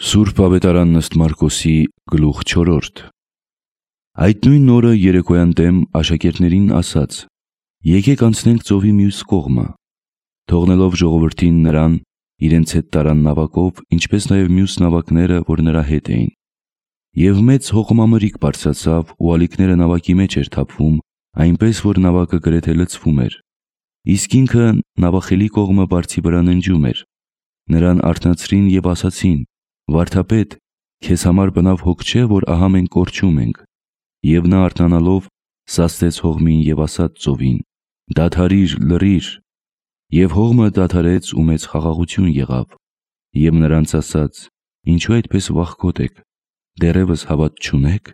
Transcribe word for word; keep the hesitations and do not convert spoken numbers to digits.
Սուրբ Ավետարանն ըստ Մարկոսի գլուխ չորրորդ։ Այդ նույն օրը երեկոյան դեմ աշակերտներին ասաց. «Եկեք անցնենք ծովի մյուս կողմը»։ Թողնելով ժողովրդին նրան, իրենց հետ տարան նավակով, ինչպես նաև մյուս նավակները, որ նրա հետ էին։ Եվ մեծ հողմամրիք բարձրացավ, ու ալիքները նավակի մեջ էր թափվում, այնպես որ նավակը գրեթե լցվում էր։ Իսկ ինքը նավախելի կողմը բարձի վրա ննջում էր։ Նրան արթնացրին և ասացին. «Վարդապետ, քեզ համար բնավ հոգ չէ, որ ահա մենք կորչում ենք»։ Եվ նա արթնանալով սաստեց հողմին և ասաց ծովին. «Դադարի՛ր, լռի՛ր»։ Եվ հողմը դադարեց ու մեծ խաղաղություն եղավ։ Եվ նրանց ասաց. «Ինչու այդպես վախկոտ եք, դեռևս հավատ չունե՞ք»։